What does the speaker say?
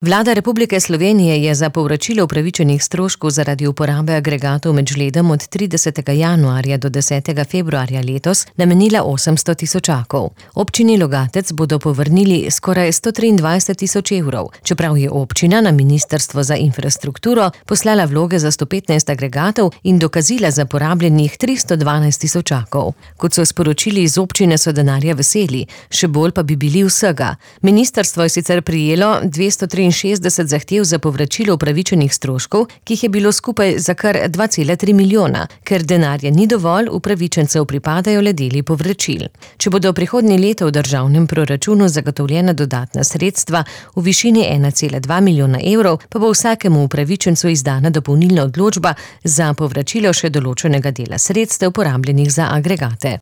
Vlada Republike Slovenije je za povračilo upravičenih stroškov zaradi uporabe agregatov med žledom od 30. januarja do 10. februarja letos namenila 800 tisočakov. Občini Logatec bodo povrnili skoraj 123 tisoč evrov, čeprav je občina na Ministrstvo za infrastrukturo poslala vloge za 115 agregatov in dokazila za porabljenih 312 tisočakov. Kot so sporočili iz občine, so denarja veseli, še bolj pa bi bili vsega. Ministrstvo je sicer prijelo 263 zahtev za povračilo upravičenih stroškov, ki jih je bilo skupaj za kar 2,3 milijona. Ker denarja ni dovolj, upravičencev pripadajo le deli povračil. Če bodo prihodnje leto v državnem proračunu zagotovljena dodatna sredstva v višini 1,2 milijona evrov, pa bo vsakemu upravičencu izdana dopolnilna odločba za povračilo še določenega dela sredstev porabljenih za agregate.